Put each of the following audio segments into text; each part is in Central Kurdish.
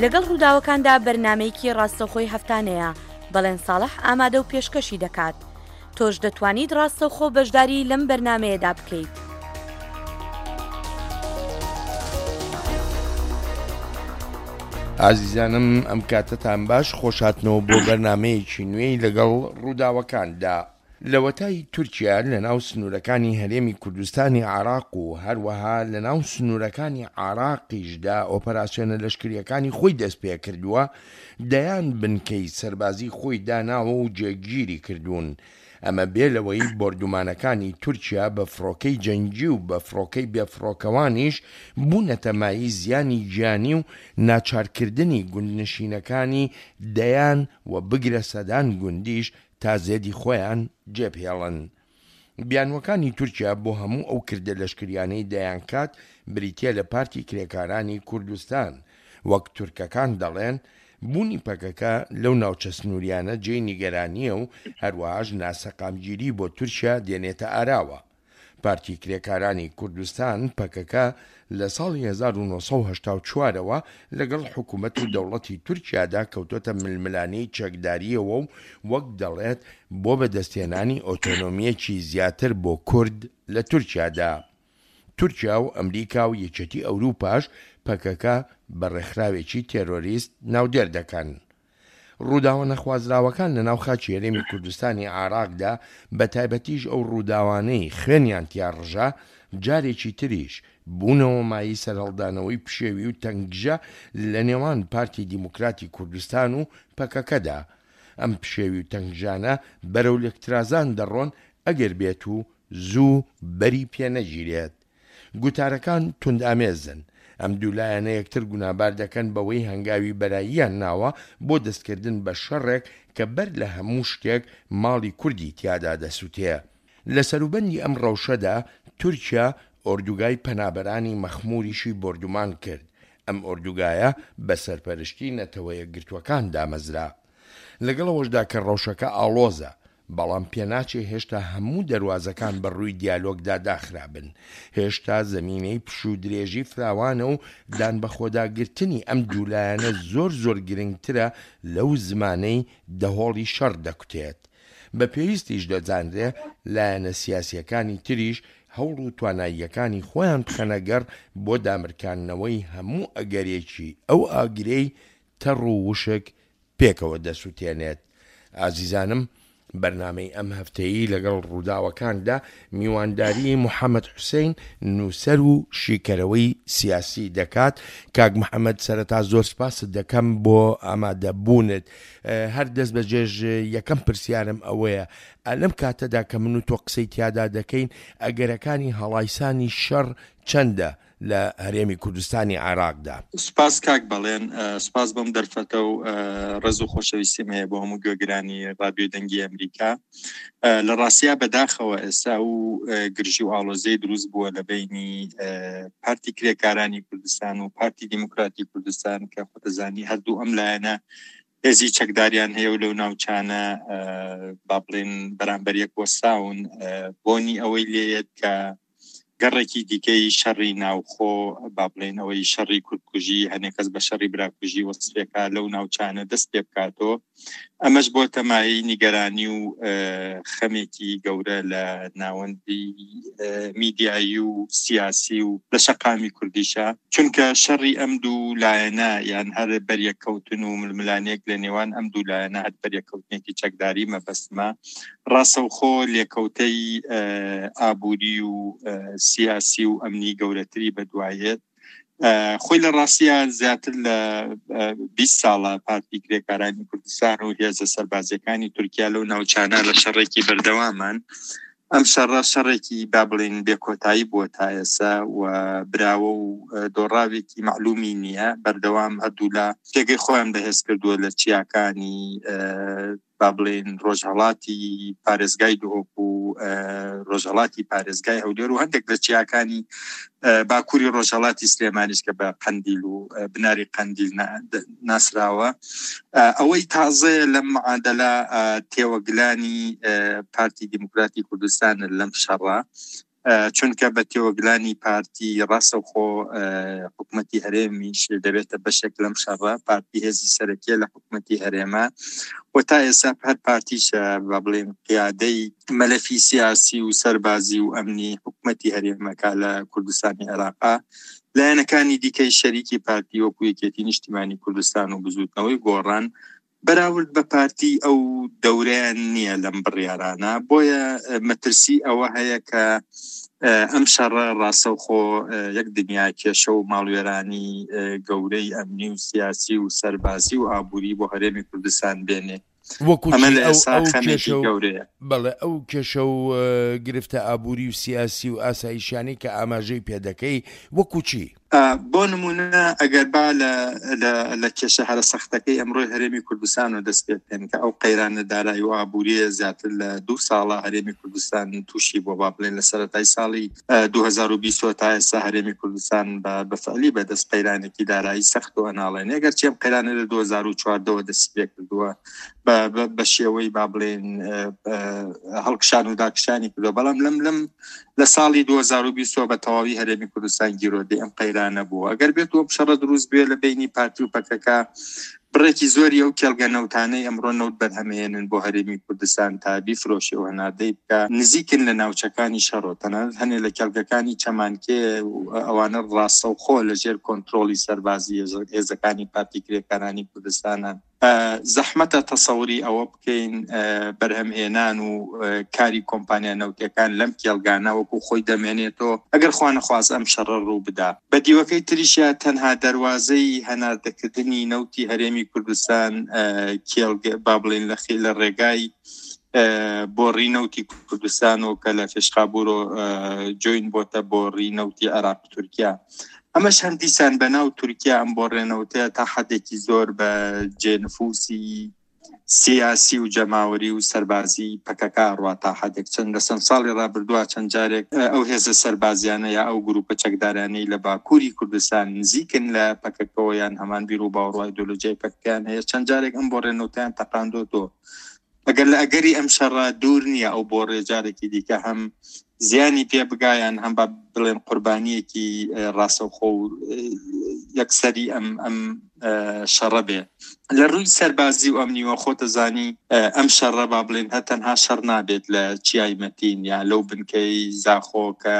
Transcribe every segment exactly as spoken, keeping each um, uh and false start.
لەگەڵ ڕووداوەکاندا بەرنامەیەکی ڕاستەوخۆی هەفتانەیە، بەڵێن ساڵح ئامادە و پێشکەشی دەکات. تۆش دەتوانیت ڕاستەوخۆ بەشداری لەم بەرنامەیەدا بکەیت. ئازیزانم ئەم کاتەتان باش، خۆشهاتنەوە بۆ بەرنامەیەکی نوێی لەگەڵ ڕووداوەکاندا. لەوەتای تورکیا لەناو سنوورەکانی هەرێمی کوردستانی عێراق و هەروەها لەناو سنوورەکانی عێراقیشدا ئۆپەراسیۆنە لەشکرییەکانی خۆی دەستپێکردووە، دەیان بنکەی سەربازی خۆی داناوە و جێگیری کردوون. ئەمە بێ لەوەی بۆردومانەکانی تورکیا بە فڕۆکەی جەنگی و بە فڕۆکەی بێفڕۆکەوانیش بوونەتە مایەی زیانی گیانی و ناچارکردنی گوندنشینەکانی دەیان و بگرە سەدان گوندیش تا زێدی خۆیان جێبهێڵن. بیانوەکانی تورکیا بۆ هەموو ئەو کردە لەشکریانەی دەیانکات بریتیە لە پارتی کرێکارانی کوردستان. وەک تورکەکان دەڵێن بوونی پەکەکە لەو ناوچە سنووریانە جێی نیگەرانییە و هەروەهاش ناسەقامگیری بۆ تورکیا دێنێتە ئاراوە. پارتی کرێکارانی کوردستان، پەکەکە، لە ساڵی هەزار و نۆ سەد و هەشتا و چوار ەوە لەگەڵ حکومەت و دەوڵەتی تورکیادا کەوتۆتە ململانێی چەکدارییەوە و وەک دەڵێت بۆ بەدەستهێنانی ئۆتۆنۆمییەکی زیاتر بۆ کورد لە تورکیادا. تورکیا و ئەمریکا و یەکێتی ئەوروپاش پەکەکە بە ڕێکخراوێکی تێرۆریست ناودێر دەکەن. ڕووداوە نەخوازراوەکان لە ناو خاکی هەرێمی کوردستانی عێراقدا، بە تایبەتیش ئەو ڕووداوانەی خوێنیان تیا ڕژا، جارێکی تریش بوونەوە مایەی سەرهەڵدانەوەی پشێوی و تەنگژە لە نێوان پارتی دیموکراتی کوردستان و پەکەکەدا. ئەم پشێوی و تەنگژانە بەرەو لێکترازان دەڕۆن ئەگەر بێت و زوو بەری پێنەگیرێت. گوتارەکان توندئامێزن. ئەم دوو لایەنە یەکتر گونابار دەکەن بەوەی هەنگاوی بەراییان ناوە بۆ دەستکردن بە شەڕێک کە بەر لە هەموو شتێک ماڵی کوردی تیادا دەسوتێ. لە سەروبەندی ئەم ڕەوشەدا تورکیا ئۆردوگای پەنابەرانی مەخموریشی بۆردومان کرد. ئەم ئۆردوگایە بە سەرپەرشتی نەتەوەیەکگرتوەکان دامەزرا. لەگەڵ ئەوەشدا کە ڕەوشەکە ئاڵۆزە، بەڵام پێناچێ هێشتا هەموو دەروازەکان بە ڕووی دیالۆگدا داخرابن. هێشتا زەمینەی پشوودرێژی فراوانە و دانبەخۆداگرتنی ئەم دوو لایەنە زۆر زۆر گرنگترە لەو زمانەی دەهۆڵی شەڕ دەکوتێت. بە پێویستیش دەزانرێ لایەنە سیاسییەکانی تریش هەوڵ و تواناییەکانی خۆیان بخەنە گەڕ بۆ دامرکاندنەوەی هەموو ئەگەرێکی ئەو ئاگرەی تەڕ و وشک پێکەوە دەسوتێنێت. ئازیزانم بەرنامەی ئەم هەفتەیی لەگەڵ ڕووداوەکاندا میوانداری محەمەد حوسەین نووسەر و شیکەرەوەی سیاسی دەکات. کاک محەمەد سەرەتا زۆر سپاست دەکەم بۆ ئامادەبوونت. هەر دەست بەجێژ یەکەم پرسیارم ئەوەیە لەم کاتەدا کە من و تۆ قسەی تیادا دەکەین ئەگەرەکانی هەڵایسانی شەڕ چەندە لە هەرێمی کوردستانی عێراقدا؟ سپاس کاک بەڵێن، سپاس بۆم دەرفەتە و ڕێز و خۆشەویستیم هەیە بۆ هەموو گوێگرانی ڕادیۆی دەنگی ئەمریکا. لە ڕاستیا بەداخەوە ئێستا و گرژی و ئاڵۆزیی دروست بووە لە بەینی پارتی کرێکارانی کوردستان و پارتی دیموکراتی کوردستان کە خۆتەزانی هەردوو ئەم لایەنە هێزی چەکداریان هەیە و لەو ناوچانە با بڵێن بەرامبەر یەک وەستاون. بۆنی ئەوەی لێیەت کە گەڕێکی دیکەی شەڕی ناوخۆ، با بڵێن ئەوەی شەڕی کوردکوژی، هەنێک کەس بە شەڕی براکوژی وەسفێکا لەو ناوچانە دەست پێ بکاتەوە. ئەمەش بۆتە مایەی نیگەرانی و خەمێکی گەورە لە ناوەندی میدیایی و سیاسی و لە شەقامی کوردیشە، چونکە شەڕی ئەم دوو لایەنە یان هەر بەریەککەوتن و ململانێک لە نێوان ئەم دوو لایەنە، هەر بەریەککەوتنێکی چەکداری مەبەستمە، ڕاستەوخۆ لێکەوتەی ئابووری و سیاسی و ئەمنی گەورەتری بەدوایێت. خۆی لە ڕاستیە زیاتر لە بیست ساڵە پارتی کرێکارانی کوردستان و هێزە سەربازیەکانی تورکیا لەو ناوچانە لە شەڕێکی بەردەوامان. ئەم شەڕە شەڕێکی با بڵێین بێکۆتایی بووە تا ئێستا و براوە و دۆڕاوێکی مەعلومی نییە. بەردەوام هەردوولا پێگەی خۆیان بەهێز کردووە لە چیاکانی با بڵێین ڕۆژهەڵاتی پارێزگای دهۆک و ڕۆژهەڵاتی پارێزگای هەولێر و هەندێک لە چیاکانی باکووری ڕۆژهەڵاتی سلێمانیش کە بە قەندیل و بناری قەندیل ناسراوە. ئەوەی تازەیە لەم معادلە تێوەگلانی پارتی دیموکراتی کوردستان لەم شەڕە، چونکە بە تێوەگلانی پارتی ڕاستەوخۆ حکوومەتی هەرێمیش دەبێتە بەشێک لەم شەڕە. پارتی هێزی سەرەکیە لە حکوومەتی هەرێمە و تا ئێستا هەر پارتیشە با بڵێن قیادەی مەلەفی سیاسی و سەربازی و ئەمنی حکوومەتی هەرێمەکە لە کوردستانی عێراقا. لایەنەکانی دیکەی شەریکی پارتی وەکو یەکێتی نیشتیمانی کوردستان و بزوتنەوەی گۆڕان بەراورد بە پارتی ئەو دەورەیان نییە لەم بڕیارانە، بۆیە مەترسی ئەوە هەیە کە ئەم شەڕە ڕاستەوخۆ یەک دنیا کێشە و ماڵوێرانی گەورەی ئەمنی و سیاسی و سەربازی و ئابووری بۆ هەرێمی کوردستان بێنێ. وەکو ئەمە لە ئەو ئێستا ئەو خەمێکی کێشە و گەورەیە. بەڵێ ئەو کێشە و گرفتە ئابووری و سیاسی و ئاسایشیانەی کە ئاماژەی پێدەکەی وەکو چی؟ بۆ نمونە ئەگەر با لە کێشە هەرە سەختەکەی ئەمڕۆی هەرێمی کوردستان و دەست پێ بکەین کە ئەو قەیرانە دارایی و ئابووریە زیاتر لە دوو ساڵە هەرێمی کوردستان تووشی بووە، با بڵێن لە سەرەتای ساڵی دوو هەزار و بیست تا ئێستا هەرێمی کوردستان بە فعلی بەدەست قەیرانێکی دارایی سەخت و ئەناڵێنێ. ئەگەرچی ئەم قەیرانە لە دوو هەزار و چواردەوە دەستی پێ کردووە بە شێوەی با بڵێن هەڵکشان و داکشانی کردووە، بەڵام لەم لەم لە ساڵی دوو هەزار و بیست بە تەواوی هەرێمی کوردستان گیرۆدەی ئەم قەیرانە بووە. ئەگەر بێت ئەم شەڕە دروست بێ لە بینی پارتی و پەکەکە، بڕێکی زۆری ئەو کێڵگە نەوتانەی ئەمڕۆ نەوت بەرهەمێنن بۆ هەرێمی کوردستان تا بیفرۆشێ و هەناردەی بکە نزیکن لە ناوچەکانی شەڕۆ، تەنانەت هەنێ لە کێڵگەکانی چەمانکێ ئەوانە ڕاستەوخۆ لەژێر کۆنترۆڵی سەربازی هێزەکانی پارتی کرێکارانی کوردستانە. زەحمەتە تەسەوری ئەوە بکەین بەرهەمهێنان و کاری کۆمپانیا نەوتەکان لەم کێڵگانە وەکو خۆی دەمێنێتەوە ئەگەر خوانەخواست ئەم شەڕە ڕوو بدا. بە دیوەکەی تریشیا تەنها دەواازەی هەناردەکردنی نەوتی هەرێمی کوردستان کێڵگە با بڵێن لە خێ لە ڕێگای بۆڕی نەوتی کوردستان و کە لە فێشخابورۆ جوین بۆتە بۆڕی نەوتی عێراق تورکیا. ئەمەش هەم دیسان بەناو تورکیا ئەم بۆڕێنەوتەیە تا حدێکی زۆر بە جێنفوسی سیاسی و جەماوەری و سەربازی پەکەکە ڕوا تا حدێک چەند لە چەند ساڵی ڕابردووە چەند جارێک ئەو هێزە سەربازیانە یا ئەو گروپە چەکدارانەی لە باکووری کوردستان نزیکن لە پەکەکەوە یان هەمان بیر و باوەڕ و ئایدۆلۆژیای پەکەکەیان هەیە، چەند جارێک ئەم بۆڕێنەوتیان تەقاندۆتەوە. ئەگەر لە ئەگەری ئەم شەڕە دوور نییە ئەو بۆڕێ جارێکی دیکە هەم زیانی پێ بگایان هەم با بڵێن قوربانیەکی ڕاستەوخۆ و یەکسەری ئەم ئەم شەڕە بێ. لە ڕووی سەربازی و ئەمنیوە خۆتەزانی ئەم شەڕە با بڵێن هەر تەنها شەڕ نابێت لە چیای مەتین یا لەو بنکەی زاخۆ کە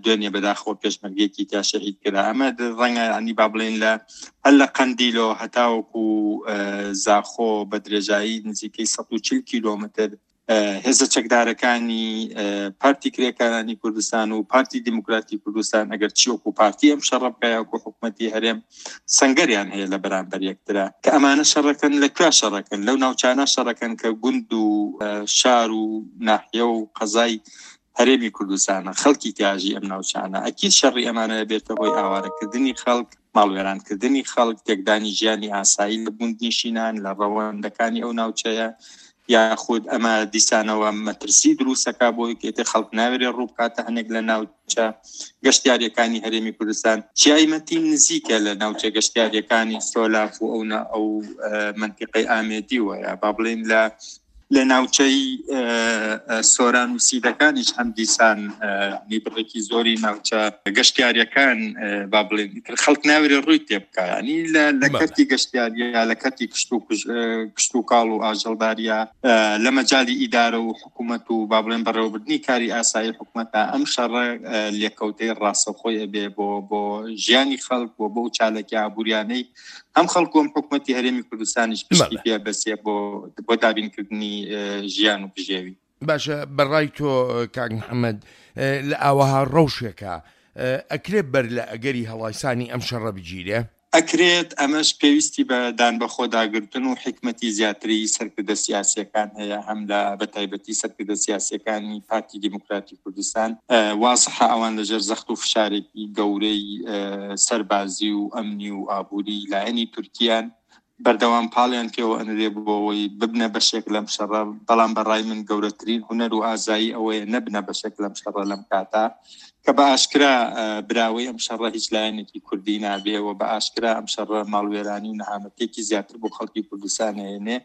دوێنێ بەداخەوە پێشمەرگێکی تا شەهید کرا. ئەمە ڕەنگە ینی با بڵێن لە هەر لە قەندیلۆ هەتاوەکو زاخۆ بە درێژایی نزیکەی سەد و چل کیلۆمەتر هێزە چەکدارەکانی پارتی کرێکارانی کوردستان و پارتی دیموکراتی کوردستان ئەگەر چی وەکو پارتی ئەم شەڕە بکە یاکو حکوومەتی هەرێم سەنگەریان هەیە لە بەرامبەر یەکترا کە ئەمانە شەڕەکەن لە کوێ شەڕەکەن؟ لەو ناوچانە شەڕەکەن کە گوند و شار و ناحیە و قەزای هەرێمی کوردستانە، خەڵکی تیاژی ئەم ناوچانە. ئەکید شەڕی ئەمانە بێتە هۆی ئاوارەکردنی خەڵک، ماڵوێرانکردنی خەڵک، تێکدانی ژیانی ئاسایی لە گوندنشینان لە ڕەوەندەکانی ئەو ناوچەیە، یاخود ئەمە دیسانەوە مەترسی دروستەکە بۆی کێتە خەڵک ناوێرێ ڕوو بکاتە هەنێک لە ناوچە گەشتیاریەکانی هەرێمی کوردستان. چیای مەتین نزیکە لە ناوچە گەشتیاریەکانی سۆلاف و ئەو ئەو منتیقەی ئامێدیوە، یا با بڵێن لە لە ناوچەی سۆران و سیدەکانیش هەم دیسان بڕێکی زۆری ناوچە گەشتیاریەکان با بڵێن خەڵک ناوێرێ ڕووی تێ بکە، ینی لە کەرتی گەشتیاریە، لە کەرتی کشت و کاڵ و ئاژەڵداریە، لە مەجالی ئیدارە و حکوومەت و با بڵێن بەڕێوەبردنی کاری ئاسایی حکوومەتە ئەم شەڕە لێکەوتەی ڕاستەوخۆی ئەبێ بۆ بۆ ژیانی خەڵک بۆ بۆ چالاکی ئابووریانەی هەم خەڵک و هەم حکوومەتی هەرێمی کوردستانیش پشتی پێ بەسێ بۆ بۆ دابینکردنی ژیان و بژێوی. باشە، بەڕای تۆ کاک محەممەد لە ئاوەها ڕەوشێکە ئەکرێت بەر لە ئەگەری هەڵایسانی ئەم شەڕە بگیرێ؟ ئەکرێت، ئەمەش پێویستی بە دان بەخۆداگرتن و حکمەتی زیاتری سەرکردە سیاسیەکان هەیە، هەم لە بەتایبەتی سەرکردە سیاسیەکانی پارتی دیموکراتی کوردستان. وازحە ئەوان لەژێر زەخت و فشارێکی گەورەی سەربازی و ئەمنی و ئابووری لایەنی تورکیان بەردەوام پاڵیان پێوە ئەنرێ بۆ ئەوەی ببنە بەشێک لەم شەڕە. بەڵام بەڕای من گەورەترین هونەر و ئازایی ئەوەیە نەبنە بەشێک لەم شەڕە لەم کاتا کە بە ئاشکرا براوەی ئەم شەڕە هیچ لایەنێکی کوردی نابێ و بە ئاشکرا ئەم شەڕە ماڵوێرانی و نەهامەتێکی زیاتر بۆ خەڵکی کوردستان هێنێ.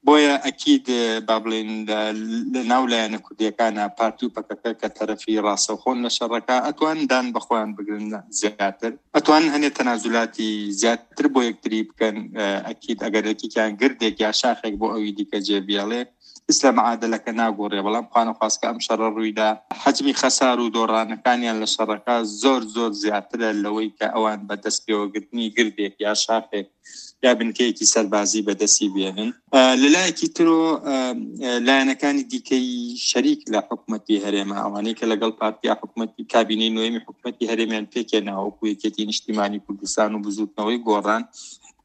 بۆیە ئەکید با بڵێن لە ناو لایەنە کوردیەکانە پارتی و پەکەکە کە تەرەفی ڕاستەوخۆن لە شەڕەکە ئەتوان دان بە خۆیان بگرن زیاتر، ئەتوان هەنێ تەنازولاتی زیاتر بۆ یەکتری بکەن. ئەکید ئەگەر یەکێکیان گردێک یا شاخێک بۆ ئەوی دیکە جێبیڵێ هیچ لە معادلەکە ناگۆڕێ. بەڵام خوانەخواستکە ئەم شەڕە ڕوویدا حەجمی خەسار و دۆڕانەکانیان لە شەڕەکە زۆر زۆر زیاترە لەوەی کە ئەوان بە دەست پێوەگرتنی گردێک یا شاخێک یا بنکەیەکی سەربازی بەدەستی بێنن. لەلایەکی ترۆ لایەنەکانی دیکەی شەریک لە حکوومەتی هەرێمە، ئەوانەی کە لەگەڵ پارتیا حکوومەتی کابینەی نوێمی حکوومەتی هەرێمیان پێکێناوە وەکو یەکێتی نیشتیمانی کوردستان و بزوتنەوەی گۆڕان،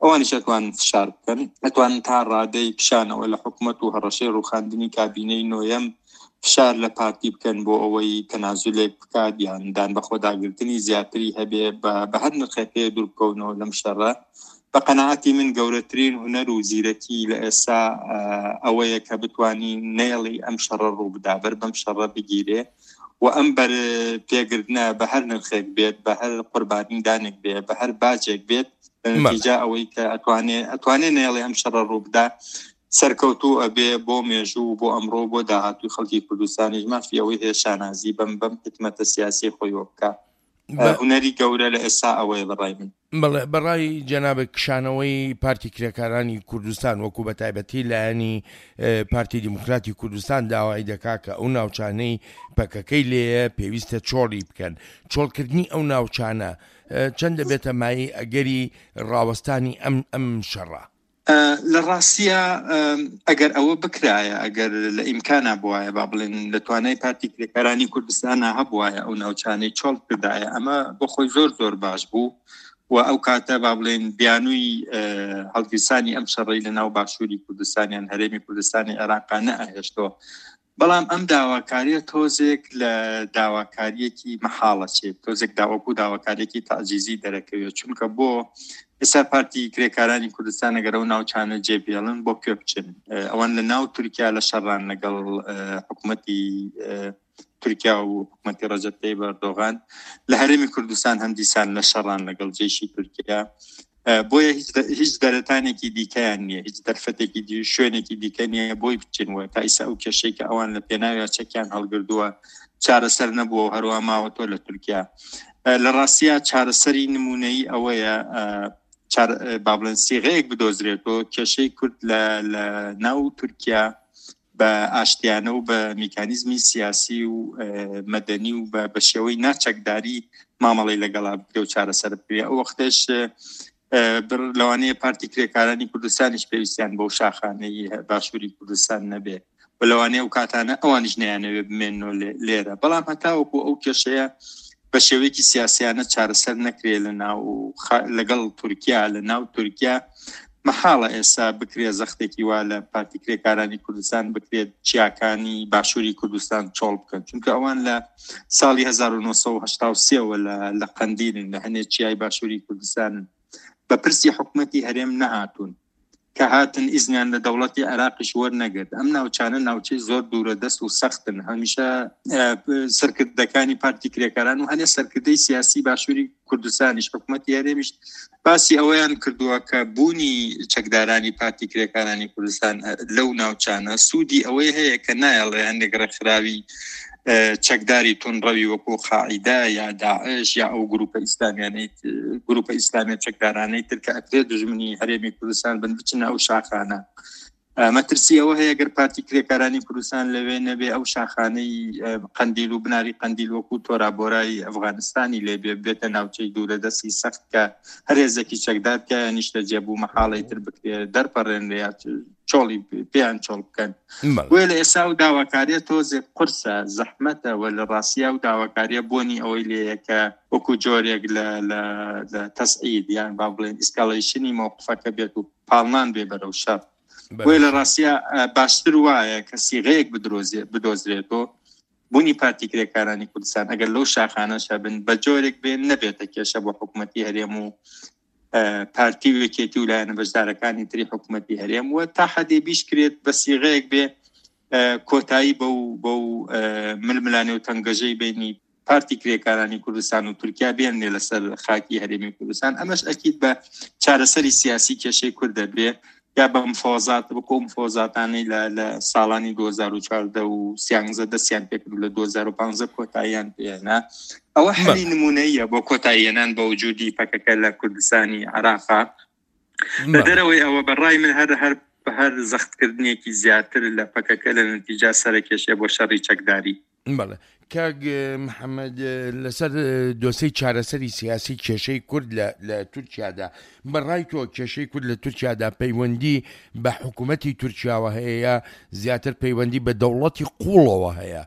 ئەوانیش ئەتوانن فشار بکەن، ئەتوانن تا ڕادەی کشانەوە لە حکوومەت و هەڕەشەی ڕووخاندنی کابینەی نوێم فشار لە پارتی بکەن بۆ ئەوەی تەنازولێک بکات یان دان بە خۆداگرتنی زیاتری هەبێ بە هەر نرخێک دوور بکەونەوە لەم شەڕە. بە قەناعەتی من گەورەترین هونەر و زیرەکی لە ئێستا ئەوەیە کە بتوانی نێڵی ئەم شەڕە ڕوو بدا، بەر بەم شەڕە بگیرێ و ئەم بەر پێگرتنە بە هەر نرخێک بێت، بە هەر قوربانیدانێک بێت، بە هەر باجێک بێت، نەتیجە ئەوەی کە ئەتوانێ ئەتوانێ نێڵێ ئەم شەڕە ڕوو بدا سەرکەوتوو ئەبێ بۆ مێژوو بۆ ئەمڕۆ بۆ داهاتووی خەڵکی کوردستانیش مافی ئەوەی هەیە شانازی بەم بەم حکمەتە سیاسی خۆیەوە بکە. هونەری گەورە لە ئێستا ئەوەیە بەڕای من. بەڵێ، بەڕای جەنابێک کشانەوەی پارتی کرێکارانی کوردستان وەکو بە تایبەتی لایەنی پارتی دیموکراتی کوردستان داوای دەکا کە ئەو ناوچانەی پەکەکەی لێیە پێویستە چۆڵی بکەن. چۆڵکردنی ئەو ناوچانە چەند دەبێتە مایەی ئەگەری ڕاوەستانی ئەم ئەم شەڕە؟ لە ڕاستیە ئەگەر ئەوە بکرایە، ئەگەر لە ئیمکانە بواە، با بڵێن لە توانای پارتی کرێکارانی کوردستانە هەبواە ئەو ناوچانەی چۆڵ کردایە، ئەمە بۆ خۆی زۆر زۆر باش بوو و ئەو کاتە با بڵێن بیانووی هەڵگیرسانی ئەم شەڕەی لە ناو باشووری کوردستانیان هەرێمی کوردستانی عێراقا نەئەهێشتەوە. بەڵام ئەم داواکاریە تۆزێک لە داواکاریەکی مەحاڵە چێت، تۆزێک داوەکو داواکاریەکی تەعجیزی دەرەکەوێت، چونکە بۆ ئێستا پارتی کرێکارانی کوردستان ئەگەر ئەو ناوچانە جێبێڵن بۆ کوێ بچن؟ ئەوان لە ناو تورکیا لە شەڕان لەگەڵ حکوومەتی تورکیا و حکوومەتی ڕەجەب تەیب ئەردۆغان، لە هەرێمی کوردستان هەم دیسان لە شەڕان لەگەڵ جێشی تورکیا. بۆیە هیچ دەرەتانێکی دیکەیان نییە، هیچ دەرفەتێکی دی شوێنێکی دیکە نییە بۆی بچنەوە. تا ئیسا ئەو کێشەی کە ئەوان لە پێناویا چەکیان هەڵگردووە چارەسەر نەبووە و هەروە ماوەتەوە لە تورکیا. لە ڕاستیە چارەسەری نمونەیی ئەوەیە با بڵێن سیغەیەک بدۆزرێتەوە کێشەی کورد لە ناو تورکیا بە ئاشتیانە و بە میکانیزمی سیاسی و مەدەنی و بە شێوەی ناچەکداری مامەڵەی لەگەڵا بکرێ و چارەسەر بکرێ. ئەو وەختش لەوانەیە پارتی کرێکارانی کوردستانیش پێویستیان بەو شاخانەی باشووری کوردستان نەبێ و لەوانەیە ئەو کاتانە ئەوانیش نەیانەوێ بمێننەوە لێرە. بەڵام هەتاوەکو ئەو کێشەیە بە شێوەیەکی سیاسیانە چارەسەر نەکرێ لە ناو لەگەڵ تورکیا، لە ناو تورکیا مەحاڵە ئێستا بکرێ زەختێکی وا لە پارتی کرێکارانی کوردستان بکرێت چیاکانی باشووری کوردستان چۆڵ بکەن، چونکە ئەوان لە ساڵی هەزار و نۆ سەد و هەشتا و سێوە لە قەندیلن، لە هەنێ چیای باشووری کوردستانن، بە پرسی حکوومەتی هەرێم نەهاتوون. کە هاتن ئیزنیان لە دەوڵەتی عێراقیش وەرنەگرت. ئەم ناوچانە ناوچەی زۆر دوورە دەست و سەختن. هەمیشە سەرکردەکانی پارتی کرێکاران و هەنێ سەرکردەی سیاسی باشووری کوردستانیش حکوومەتی هەرێمیش باسی ئەوەیان کردووە کە بوونی چەکدارانی پارتی کرێکارانی کوردستان لەو ناوچانە سوودی ئەوەی هەیە کە نایەڵێ هەندێک ڕێکخراوی چەکداری تونڕەوی وەکو قاعیدە یا داعش یا ئەو گروپە ئیسلامیانەی گروپە ئیسلامیە چەکدارانەی تر کە ئەکرێت دژمنی هەرێمی کوردستان بن بچنە ئەو شاخانە. مەترسی ئەوە هەیە گەر پارتی کرێکارانی کوردستان لەوێ نەبێ ئەو شاخانەی قەندیل و بناری قەندیل وەکو تۆرابۆرای ئەفغانستانی لێبێ بێتە ناوچەی دوورە دەستی سەخت کە هەر هێزێکی چەکدار کە نیشتە جێبوو مەحاڵی تر بکرێ دەرپەڕێنرێ یا چۆڵی پێیان چۆڵ بکەن. بۆیە لە ئێستا و داواکاریە تۆزێک قورسە، زەحمەتە و لە ڕاستیا و داواکاریە بۆنی ئەوەی لێیە کە وەکو جۆرێک لە لە تەسعید یان با بڵێن escalation ی مەوقفەکە بێت و پاڵنان بێ بەرەو شەڕ. بۆیە لە ڕاستیا باشتر وایە کە سیغەیەک بدۆزرێتەوە بوونی پارتی کرێکارانی کوردستان ئەگەر لەو شاخانەش هەبن بە جۆرێک بێن نەبێتە کێشە بۆ حکوومەتی هەرێم و پارتی و یەکێتی و لایەنە بەشدارەکانی تری حکوومەتی هەرێم و تا حەدێ بیش کرێت بە سیغەیەک بێ کۆتایی بەو بەو ململانێ و تەنگەژەی بینی پارتی کرێکارانی کوردستان و تورکیا بێنێ لەسەر خاکی هەرێمی کوردستان. ئەمەش ئەکید بە چارەسەری سیاسی کێشەی کورد دەبێ یا بە مفاوەزات، بە مفاوەزاتانەی لە ساڵانی دوو هەزار و چواردە و سیانزە دەستیان پێکرد لە دوو هەزار و پانزە کۆتاییان پێهێنا. ئەوە حەلی نمونەیە بۆ کۆتاییەنان بە وجودی پەکەکە لە کوردستانی عێراقا. لە دەرەوەی ئەوە بەڕای من هەر هەر هەر زەختکردنێکی زیاتر لە پەکەکە لە نەتیجا سەرکێشێ بۆ شەڕی چەکداری. بەڵێ کاک محەممەد، لەسەر دۆسەی چارەسەری سیاسی کێشەی کورد لە تورکیادا، بەڕای تۆ کێشەی کورد لە تورکیادا پەیوەندی بە حکوومەتی تورکیاوە هەیە زیاتر پەیوەندی بە دەوڵەتی قوڵەوە هەیە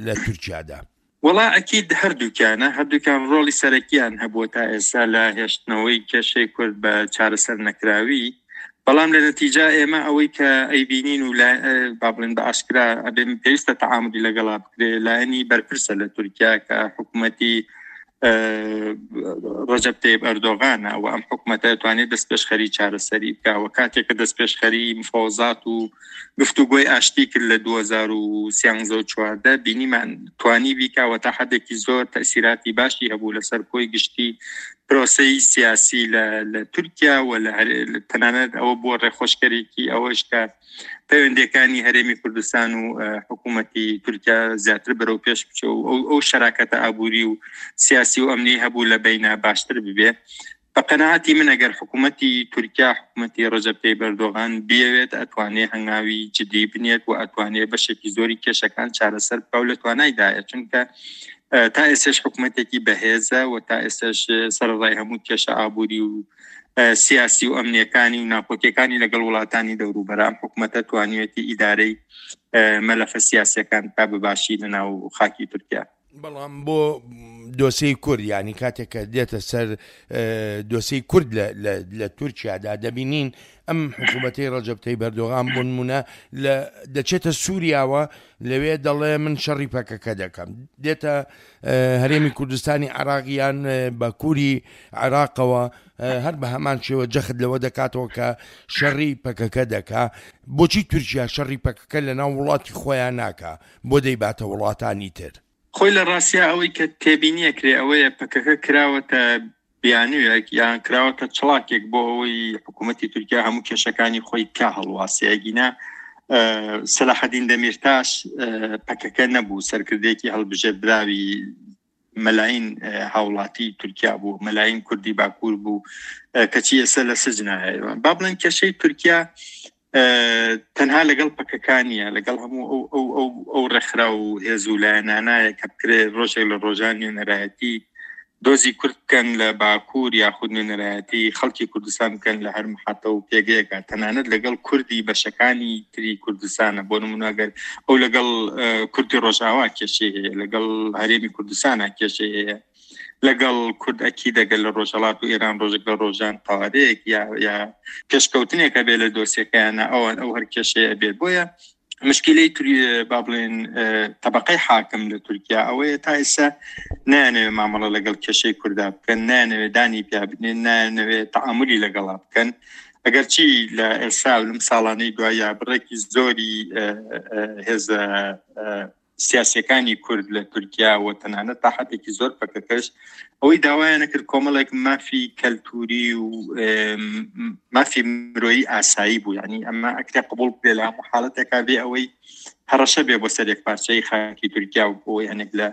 لە تورکیادا؟ وەڵا ئەکید هەردووکیانە، هەردووکیان ڕۆڵی سەرەکیان هەبووە تا ئێستا لە هێشتنەوەی کێشەی کورد بە چارەسەر نەکراوی. بەڵام لە نەتیجا ئێمە ئەوەی کە ئەیبینین و با بڵێن بە ئاشکرا ئەبێ پێویستە تەعاملی لەگەڵا بکرێ، لایەنی بەرپرسە لە تورکیا کە حکوومەتی ڕەجەب تەیب ئەردۆغانە و ئەم حکوومەتە توانێت دەستپێشخەری چارەسەری بکا و کاتێک کە دەستپێشخەری مفاوەزات و گفتوگۆی ئاشتی کرد لە دوو هەزار و سیانزە و چواردە بینیمان توانی بیکا و تا حدێکی زۆر تەسیراتی باشی هەبوو لەسەر کۆی گشتی پرۆسەی سیاسی لە تورکیا و لە تەنانەت ئەوە بووە ڕێخۆشکەرێکی ئەوەش کە پەیوەندیەکانی هەرێمی کوردستان و حکوومەتی تورکیا زیاتر بەرەو پێش بچێ و ئەو شەراکەتە ئابووری و سیاسی و ئەمنی هەبوو لە بەینا باشتر ببێ. بە قەناعەتی من ئەگەر حکوومەتی تورکیا، حکوومەتی ڕەجەب تەیب ئەردۆغان بیەوێت، ئەتوانێ هەنگاوی جدی بنێت و ئەتوانێ بەشێکی زۆری کێشەکان چارەسەر بکا و لە توانایدایە، چونکە تا ئێستاش حکوومەتێکی بەهێزە و تا ئێستاش سەرەڕای هەموو کێشە ئابووری و سیاسی و ئەمنیەکانی و ناکۆکیەکانی لەگەڵ وڵاتانی دەوروبەرام حکوومەتە توانیوێتی ئیدارەی مەلەفە سیاسیەکان تا بەباشی لەناو خاکی تورکیا. بەڵام بۆ دۆسەی کورد، ینی کاتێک کە دێتە سەر دۆسەی کورد لە تورکیادا دەبینین ئەم حکوومەتەی ڕەجەب تەیب ئەردۆغان بۆ نمونە دەچێتە سووریاوە، لەوێ دەڵێ من شەڕی پەکەکە دەکەم، دێتە هەرێمی کوردستانی عێراقیان باکووری عێراقەوە هەر بە هەمان شێوە جەخت لەوە دەکاتەوە کە شەڕی پەکەکە دەکا. بۆچی تورکیا شەڕی پەکەکە لەناو وڵاتی خۆیان ناکا، بۆ دەیباتە وڵاتانی تر؟ خۆی لە ڕاستیا ئەوەی کە تێبینیە کرێ ئەوەیە پەکەکە کراوەتە بیانوویەک یان کراوەتە چڵاکێک بۆ ئەوەی حکوومەتی تورکیا هەموو کێشەکانی خۆی کا هەڵواسێ. ئەگینا سەلاحەدین دەمیرتاش پەکەکە نەبوو، سەرکردێکی هەڵبژێردراوی مەلاین هاوڵاتی تورکیا بوو، مەلاین کوردی باکوور بوو، کەچی ئێستا لە سجنایە. با بڵێن کێشەی تورکیا تەنها لەگەڵ پەکەکانیە، لەگەڵ هەموو ئەو ئەو ئەو ئەو ڕێکخرا و هێز و لایەنانایە کە بکرێ ڕۆژێک لە ڕۆژان نوێنەرایەتی دۆزی کورد بکەن لە باکوور یاخود نوێنەرایەتی خەڵکی کوردستان بکەن لە هەر محەتە و پێگەیەکە، تەنانەت لەگەڵ کوردی بەشەکانی تری کوردستانە. بۆ نمونە ئەگەر ئەو لەگەڵ کوردی ڕۆژئاوا کێشەی هەیە، لەگەڵ هەرێمی کوردستانە کێشەی هەیە، لەگەڵ کورد ئەکی دەگەل لە ڕۆژهەڵات و ئێران ڕۆژێک لە ڕۆژان قوارەیەک یا یا پێشکەوتنێک هەبێ لە دۆسیەکەیانە، ئەوان ئەو هەر کێشەیە ئەبێت. بۆیە مشکلەی با بڵێن طبقەی حاکم لە تورکیا ئەوەیە تا ئێستا نایانەوێ مامەڵە لەگەڵ کێشەی کووردا بکەن، نایانەوێ دانی پیا بنێن، نایانەوێ تەعاملی لەگەڵا بکەن. ئەگەرچی لە ئێستا و لەم ساڵانەی دوایە بڕێکی زۆری هێزە سیاسیەکانی کورد لە تورکیا و تەنانەت تا حدێکی زۆر پەکەکەش ئەوەی داوایان نەکرد کۆمەڵێک مافی کەلتوری و مافی مرۆیی ئاسایی بوو. یعنی ئەمە ئەکرێ قبوڵ بکرێ لە هەموو حاڵەتێکا بێ ئەوەی هەڕەشە بێ بۆ سەر یەکپارچەی خاکی تورکیا و بۆ هەنێک لە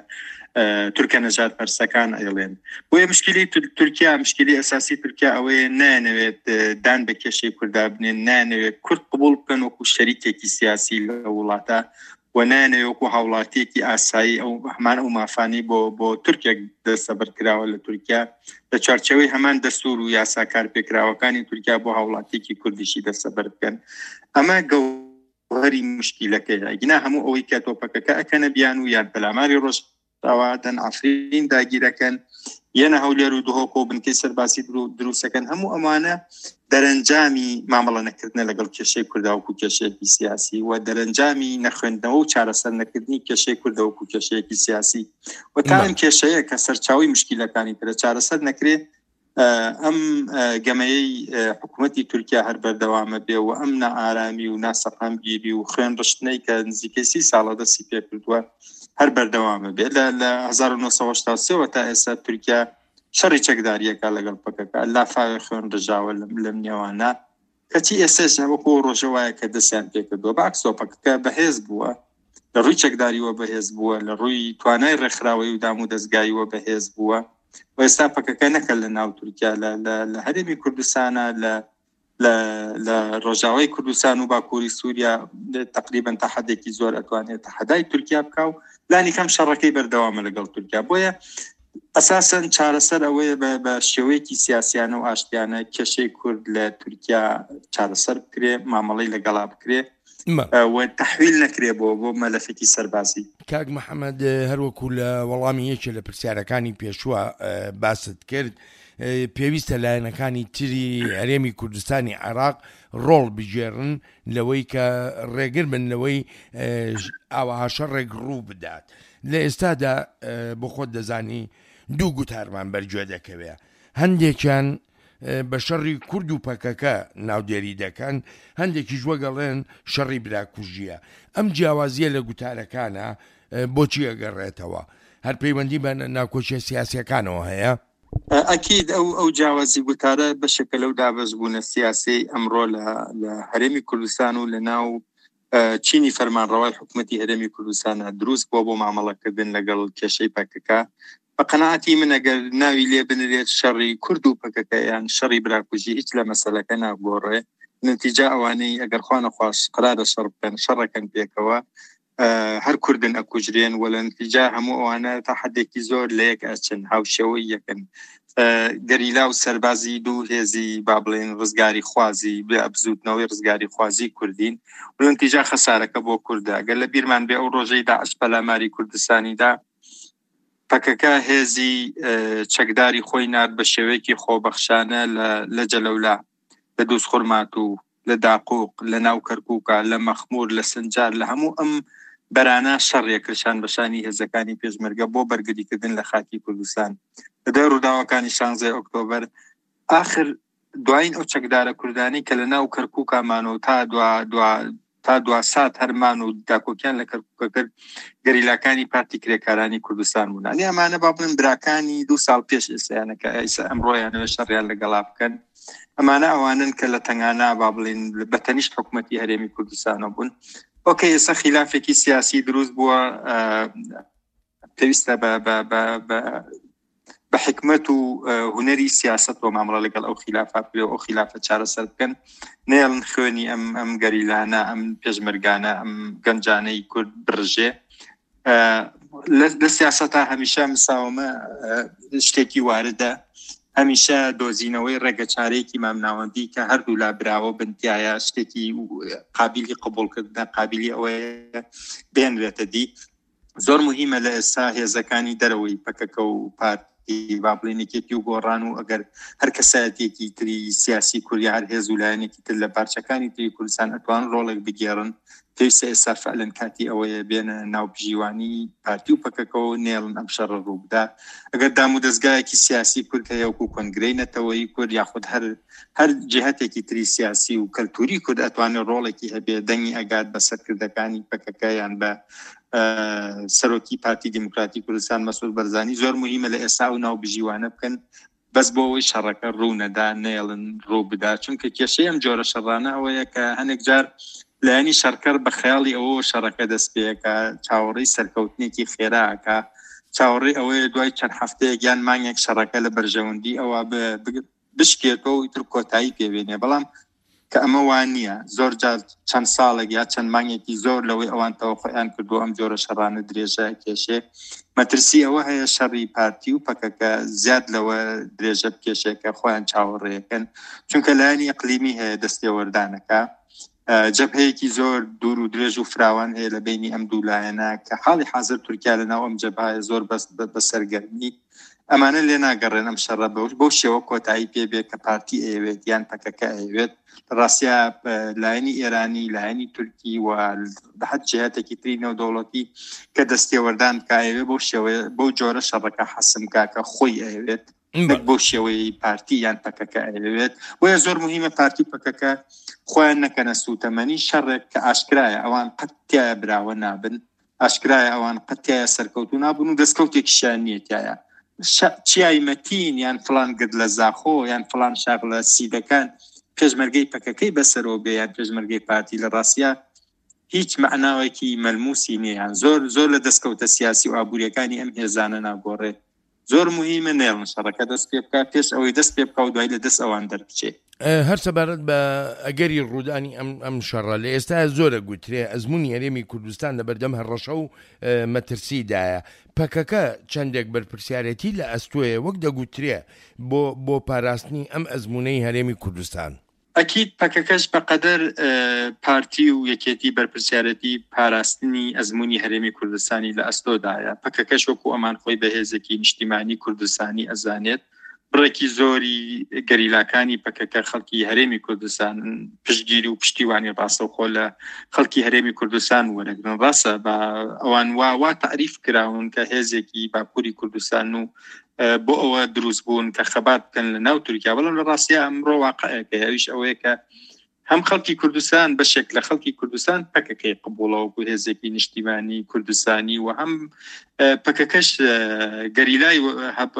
تورکە نەژاد پەرسەکان ئەیڵێن. بۆیە مشکلی تورکیا، مشکلی ئەساسی تورکیا ئەوەیە نایانەوێت دان بە کێشەی کووردا بنێن، نایانەوێت کورد قبوڵ بکەن وەکو شەریکێکی سیاسی لە وڵاتە و نایانەوێت وەکو هاوڵاتیەکی ئاسایی ئەو هەمان ئەو مافانی بۆ بۆ تورکێک دەستەبەر کراوە لە تورکیا لە چوارچێوەی هەمان دەستور و یاسا کارپێکراوەکانی تورکیا بۆ هاوڵاتیەکی کوردیشی دەستەبەر بکەن. ئەمە گەوهەری مشکلەکەیە. گینا هەموو ئەوەی کە تۆپەکەکە ئەکەنە بیان و یان پەلاماری ڕۆژئاوا دەن، عەفرین داگیرەکەن، یەنە هەولێر و دهۆک و بنکەی سەربازی دروستەکەن، هەموو ئەمانە دەرەنجامی مامەڵە نەکردنە لەگەڵ کێشەی کووردا وەکو کێشەیەکی سیاسی و دەرەنجامی نەخوێندنەوە و چارەسەر نەکردنی کێشەی کوردە وەکو کێشەیەکی سیاسی. و تا ئەم کێشەیە کە سەرچاوی مشکلەکانی ترە چارەسەر نەکرێ، ئەم گەمەیەی حکوومەتی تورکیا هەر بەردەوامە بێ و ئەم نائارامی و ناسەقامگیری و خوێن ڕشتنەی کە نزیکەی سی ساڵە دەستی پێکردووە هەر بەردەوامە بێت. لە هەزار و نۆ سەد و هەشتا و سێ وە تا ئێستا تورکیا شەڕی چەکداریەکە لەگەڵ پەکەکە، لافاوی خوێن ڕژاوە لەم نێوانە، کەچی ئێستاش وەکو ڕۆژە وایە کە دەستیان پێکردووە. بەعکسەوە پەکەکە بەهێز بووە، لە ڕووی چەکداریوە بەهێز بووە، لە ڕووی توانای ڕێکخراوەی و دام و دەستگاییوە بەهێز بووە. و ئێستا پەکەکە نەکە لە ناو تورکیا، لە هەرێمی کوردستانە، لە لە ڕۆژاوای کوردستان و باکووری سووریا تقریبا تا حدێکی زۆر ئەتوانێت تەحەدای تورکیا بکا و لانی کەم شەڕەکەی بەردەوامە لەگەڵ تورکیا. بۆیە ئەساسەن چارەسەر ئەوەیە بە شێوەیەکی سیاسیانە و ئاشتیانە کێشەی کورد لە تورکیا چارەسەر بکرێ، مامەڵەی لەگەڵا بکرێ و تەحویل نەکرێ بۆ بۆ مەلەفێکی سەربازی. کاک محەممەد، هەروەکو لە وەڵامی یەکێ لە پرسیارەکانی پێشووە باست کرد، پێویستە لایەنەکانی تری هەرێمی کوردستانی عێراق ڕۆڵ بگێڕن لەوەی کە ڕێگر بن لەوەی ئاوەها شەڕێک ڕوو بدات. لە ئێستادا بۆ خۆت دەزانی دوو گوتارمان بەرگوێ دەکەوێت، هەندێکیان بە شەڕی کورد و پەکەکە ناودێری دەکەن، هەندێکیش وەگەڵێن شەڕی براکوژیە. ئەم جیاوازیە لە گوتارەکانە بۆچی ئەگەڕێتەوە؟ هەر پەیوەندی بە ناکۆکیە سیاسیەکانەوە هەیە؟ ئەکید ئەو ئەو جیاوازی گوتارە بەشێکە لەو دابەشبوونە سیاسی ئەمڕۆ لە هەرێمی کوردستان و لە ناو چینی فەرمانڕەوای حکوومەتی هەرێمی کوردستانە دروست بووە بۆ مامەڵەکردن لەگەڵ کێشەی پەکەکە. بە قەناعەتی من ئەگەر ناوی لێ بنرێت شەڕی کورد و پەکەکە یان شەڕی براکوژی هیچ لە مەسەلەکە ناگۆڕێ. نەتیجە ئەوانەی ئەگەر خوا نەخواست قەرارە شەڕ بکەن شەڕەکەن پێکەوە، هەر کوردن ئەکوژرێن و لە نەتیجە هەموو ئەوانە تا حدێکی زۆر لە یەک ئەچن، هاوشێوەی یەکن. گەریلا و سەربازی دوو هێزی با بڵێن ڕزگاری خوازی، بزوتنەوەی ڕزگاری خوازی کوردین و لە نەتیجە خەسارەکە بۆ کوردە. ئەگەر لە بیرمان بێ ئەو ڕۆژەی داعش پەلاماری کوردستانیدا، پەکەکە هێزی چەکداری خۆی نارد بە شێوەیەکی خۆبەخشانە لە جەلەولا، لە دووزخورماتوو، لە داقوق، لە ناو کەرکووکە، لە مەخمور، لە سنجار، لە هەموو ئەم بەرانە شەڕیە کرشان بەشانی هێزەکانی پێشمەرگە بۆ بەرگریکردن لە خاکی کوردستان. لە دوای ڕووداوەکانی شانزەی ئۆکتۆبەر آخر دوایین ئەو چەکدارە کوردانی کە لە ناو کەرکووکا مانەوە تا دوا دوا تا دوا سات هەرمان و داکۆکیان لە کەرکووکە کرد، گەریلاکانی پارتی کرێکارانی کوردستان بوون. ئەنی ئەمانە با بڵێن براکانی دوو ساڵ پێش ئێستایانە کە ئێستا ئەمڕۆیانەوە شەڕیان لەگەڵا بکەن. ئەمانە ئەوانن کە لە تەنگانە با بڵێن بە تەنیشت حکوومەتی هەرێمی کوردستانەوە بوون. ئۆکەی ئێستا خیلافێکی سیاسی دروست بووە، پێویستە بە بە بە بە بە حکمت و هونەری سیاست و مامەڵە لەگەڵ ئەو خیلافە بکرێ و ئەو خیلافە چارەسەر بکەن، نێڵن خوێنی ئەم ئەم گەریلانە، ئەم پێشمەرگانە، ئەم گەنجانەی کورد بڕژێ. لە سیاسەتا هەمیشە مساومە شتێکی واردە، هەمیشە دۆزینەوەی ڕێگەچارەیەکی مامناوەندی کە هەردوو لا براوە بنتیایە شتێکی قابلی قبوڵکردنە، قابلی ئەوەیە بێنرێتە دی. زۆر مهمە لە ئێستا هێزەکانی دەرەوەی پەکەکە و پارتی با بڵێن یەکێتی و گۆڕان و ئەگەر هەر کەسایەتێکی تری سیاسی کوردی، هەر هێز و لایەنێکی تر لە پارچەکانی تری کوردستان ئەتوان ڕۆڵێک بگێڕن. پێویستە ئێستا فعلەن کاتی ئەوەیە بێنە ناوبژیوانی پارتی و پەکەکەەوە نێڵن ئەم شەڕە ڕووبدا. ئەگەر دام و دەستگایەکی سیاسی کورد هەیە وەکو کۆنگرەی نەتەوەیی کورد یاخود هەر هەر جهتێکی تری سیاسی و کەلتوری کورد ئەتوانێت ڕۆڵێکی هەبێ، دەنگی ئەگات بە سەرکردەکانی پەکەکە یان بە سەرۆکی پارتی دیموکراتی کوردستان مەسعود بەرزانی. زۆر مهمە لە ئێستا و ناوبژیوانە بکەن بەس بۆ ئەوەی شەڕەکە ڕوو نەدا، نێڵن ڕوو بدا. چونکە کێشەی ئەم جۆرە شەڕانە ئەوەیە کە هەنێک جار لایەنی شەڕکەر بە خەیاڵی ئەوە شەڕەکە دەست پێیەکە، چاوەڕێی سەرکەوتنێکی خێراکە، چاوەڕێی ئەوەیە دوای چەند هەفتەیەک یان مانگێک شەڕەکە لە بەرژەوەندی ئەوە بشکێتەوە و ئیتر کۆتایی پێبێنێ. بەڵام کە ئەمە وان نییە، زۆر جار چەند ساڵێک یا چەند مانگێکی زۆر لەوەی ئەوان تەوەقعیان کردو ئەم جۆرە شەڕانە درێژە کێشێ. مەترسی ئەوە هەیە شەڕی پارتی و پەکەکە زیاد لەوە درێژە بکێشێ کە خۆیان چاوەڕێیەکەن، چونکە لایەنی ئەقلیمی هەیە دەستێوەردانەکە، جەبهەیەکی زۆر دوور و درێژ و فراوان هەیە لە بینی ئەم دوو لایەنە کە حاڵی حاضر تورکیا لە ناو ئەم جەبهەیە زۆر بەس بەسەرگەرمی. ئەمانە لێ ناگەڕێن ئەم شەڕە بەو شێوە کۆتایی پێ بێ کە پارتی ئەیەوێت یان پەکەکە ئەیەوێت. ڕاستیا لایەنی ئێرانی، لایەنی تورکی و بە هەر جهاتێکی تری نێودەوڵەتی کە دەستێوەردان بکا ئەیەوێت بەو شێوەیە بەو جۆرە شەڕەکە حەسم بکا کە خۆی ئەیەوێت، نەک بەو شێوەی پارتی یان پەکەکە ئەیەوێت. بۆیە زۆر مهمە پارتی و پەکەکە خۆیان نەکەنە سوتەمەنی شەڕێک کە ئاشکرایە ئەوان قەت تیایە براوە نابن. ئاشکرایە ئەوان قەت تیایا سەرکەوتوو نابوون و دەستکەوتێکیشیان نییە تیایا. چیای مەتین یان فڵان گرد لە زاخۆ یان فڵان شاخ لە سیدەکان پێشمەرگەی پەکەکەی بەسەرەوە بێ یان پێشمەرگەی پارتی لە ڕاستیا هیچ مەعناوێکی مەلموسی نییە، یان زۆر زۆر لە دەستکەوتە سیاسی و ئابووریەکانی ئەم هێزانە ناگۆڕێ. زۆر مهمە نێڵن شەڕەکە دەست پێ بکات پێش ئەوەی دەست پێ بکا و دوای لە دەست ئەوان دەربچێ. هەر سەبارەت بە ئەگەری ڕوودانی ئەم ئەم شەڕە لە ئێستا زۆرە گوترێ ئەزمموی هەرێمی کوردستان لە بەردەم هەڕەشە و مەترسیدایە. پەکەکە چەندێک بەرپرسیارەتی لە ئەستۆیە وەک دەگوترێ بۆ بۆ پاراستنی ئەم ئەزمونەی هەرێمی کوردستان؟ ئەکید پەکەکەش بەقەدەر پارتی و یەکێتی بەرپرسیارەتی پاراستنی ئەزمموی هەرێمی کوردستانی لە ئەستۆدایە. پەکەکەش وەکو ئەمان خۆی بەهێزێکی نیشتیمانی کوردستانی ئەزانێت. بڕێکی زۆری گەریلاکانی پەکەکە خەڵکی هەرێمی کوردستان پشتگیری و پشتیوانی ڕاستەوخۆ لە خەڵکی هەرێمی کوردستان وەرەگرن. ڕاستە بە ئەوان وا وا تعریف کراون کە هێزێکی باکووری کوردستان و بۆ ئەوە دروست بوون کە خەبات بکەن لە ناو تورکیا، بەڵام لە ڕاستیا ئەمڕۆ واقعێکە، ئەویش ئەوەیە کە هەم خەڵکی کوردستان بەشێک لە خەڵکی کوردستان پەکەکەی قبوڵە وەکو هێزێکی نیشتیمانی کوردستانی و هەم پەکەکەش گەریلای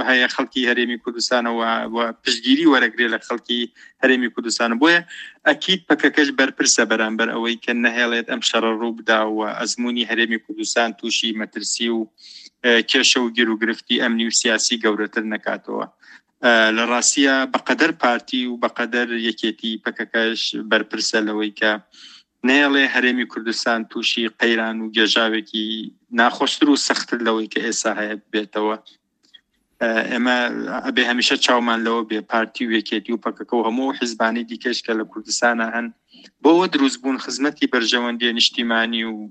هەیە خەڵکی هەرێمی کوردستانەوە و پشتگیری وەرەگرێ لە خەڵکی هەرێمی کوردستان. بۆیە ئەکید پەکەکەش بەرپرسە بەرامبەر ئەوەی کە نەهێڵێت ئەم شەڕە ڕوو بدا و ئەزمموی هەرێمی کوردستان تووشی مەترسی و کێشە و گیروگرفتی ئەمنی و سیاسی گەورەتر نەکاتەوە. لە ڕاستیە بەقەدەر پارتی و بەقەدەر یەکێتی پەکەکەش بەرپرسە لەوەی کە نەیەڵێ هەرێمی کوردستان تووشی قەیران و گێژاوێکی ناخۆشتر و سەختتر لەوەی کە ئێستا هەیە بێتەوە. ئێمە ئەبێ هەمیشە چاومان لەوە بێ پارتی و یەکێتی و پەکەکە و هەموو حیزبانی دیکەش کە لە کوردستانە هەن بۆەوە دروست بوون خزمەتی بەرژەوەندیە نیشتیمانی و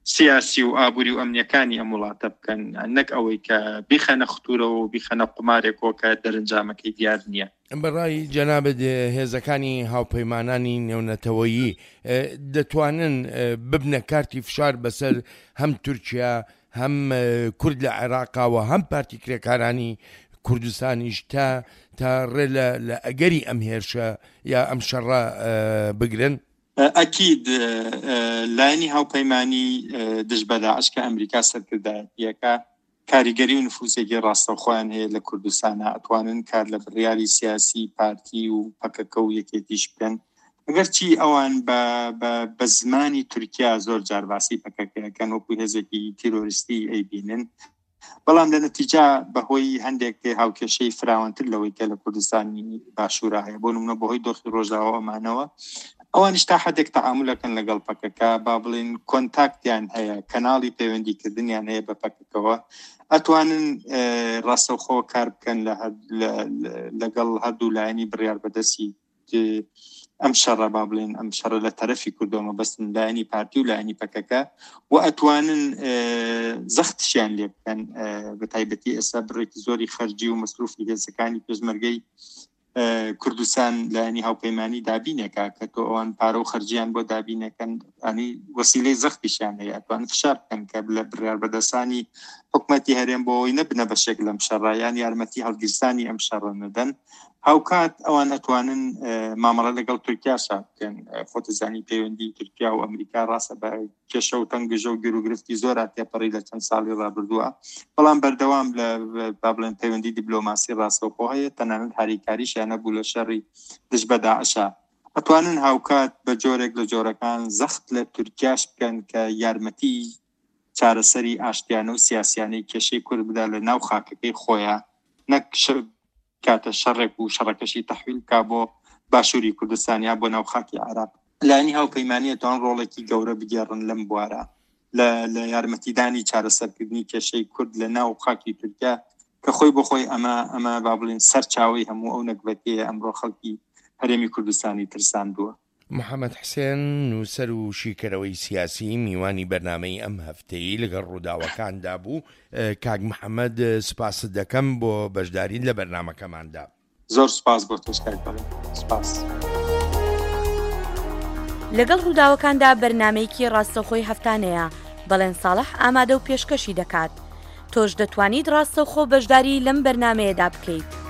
سیاسی و ئابووری و ئەمنیەکانی ئەم وڵاتە بکەن، نەک ئەوەی کە بیخەنە ختورەوە و بیخەنە قومارێکەوە کە دەرەنجامەکەی دیار نییە. بەڕای جەنابت هێزەکانی هاوپەیمانانی نێونەتەوەیی دەتوانن ببنە کارتی فشار بەسەر هەم تورکیا هەم کورد لە عێراقاوە هەم پارتی کرێکارانی کوردستانیش تا تا ڕێ لە ئەگەری ئەم هێرشە یا ئەم شەڕە بگرن؟ ئەکید لایەنی هاوپەیمانی دژ بە داعش کە ئەمریکا سەرکردایەتیەکە کاریگەری و نفوسێکی ڕاستەوخۆیان هەیە لە کوردستانە، ئەتوانن کار لە بڕیاری سیاسی پارتی و پەکەکە و یەکێتیش بکەن. ئەگەرچی ئەوان بە زمانی تورکیا زۆر جار باسی پەکەکەکەن وەکو هێزێکی تیرۆریستی ئەیبینن، بەڵام لە نەتیجا بەهۆی هەندێک هاوکێشەی فراوانتر لەوەی کە لە کوردستانی باشوورا هەیە، بۆ نمونە بەهۆی دۆخی ڕۆژاوا ئەمانەوە ئەوانیش تا حدێک تەعامولەکەن لەگەڵ پەکەکە، با بڵێن کۆنتاکتیان هەیە، کەناڵی پەیوەندیکردنیان هەیە بە پەکەکەوە، ئەتوانن ڕاستەوخۆ کار بکەن لەگەڵ هەردوو لایەنی بڕیار بەدەستی ئەم شەڕە، با بڵێن ئەم شەڕە لە تەرەفی کوردەوە بەستن لایەنی پارتی و لایەنی پەکەکە، و ئەتوانن زەختشیان لێ بکەن. بە تایبەتی ئێستا بڕێکی زۆری خەرجی و مەسروفی هێزەکانی پێشمەرگەی کوردستان لایەنی هاوپەیمانی دابینێکە کە تۆ ئەوان پارە و خەرجیان بۆ دابینەکەن، ئەنی وەسیلەی زەختیشیان هەیە، ئەتوانن فشار بکەن کە لە بڕیار بەدەستانی حکومەتی هەرێم بۆ ئەوەی نەبنە بەشێک لەم شەڕە یان یارمەتی هەڵگیرسانی ئەم شەڕە نەدەن. هاوکات ئەوان ئەتوانن مامەڵە لەگەڵ تورکیاشا بکەن. خۆتەزانی پەیوەندی تورکیا و ئەمریکا ڕاستە بە کێشە و تەنگژە و گیروگرفتی زۆر تێپەڕی لە چەند ساڵی ڕابردووە، بەڵام بەردەوام لە با بڵێن پەیوەندی دیپلۆماسی ڕاستەوخۆ هەیە، تەنانەت هاریکاریشیان نەبوو لە شەڕی دژ بە داعشا. ئەتوانن هاوکات بە جۆرێک لە جۆرەکان زەخت لە تورکیاش بکەن کە یارمەتی چارەسەری ئاشتیانە و سیاسیانەی کێشەی کورد بدا لە ناو خاکەکەی خۆیان، نەک کاتە شەڕێک و شەڕەکەشی تەحویل بکا بۆ باشووری کوردستان یا بۆ ناو خاکی عێراق. لایەنی هاوپەیمانیە توان ڕۆڵێکی گەورە بگێڕن لەم بوارە لە یارمەتیدانی چارەسەرکردنی کێشەی کورد لە ناو خاکی تورکیا کە خۆی بۆ خۆی ئەمە ئەمە با بڵێن سەرچاوەی هەموو ئەو نەگبەتەیە ئەمڕۆ خەڵکی هەرێمی کوردستانی ترساندووە. محەممەد حسێن نووسەر و شیکەرەوەی سیاسی میوانی بەرنامەی ئەم هەفتەی لەگەڵ ڕووداوەکاندا بوو. کاک محەممەد سپاست دەکەم بۆ بەشداریت لە بەرنامەکەماندا. زۆر سپاس بۆ تۆش کاک بەڵێن. سپاس. لەگەڵ ڕووداوەکاندا بەرنامەیەکی ڕاستەوخۆی هەفتانەیە، بەڵێن ساڵح ئامادە و پێشکەشی دەکات. تۆش دەتوانیت ڕاستەوخۆ بەشداری لەم بەرنمەیەدا بکەیت.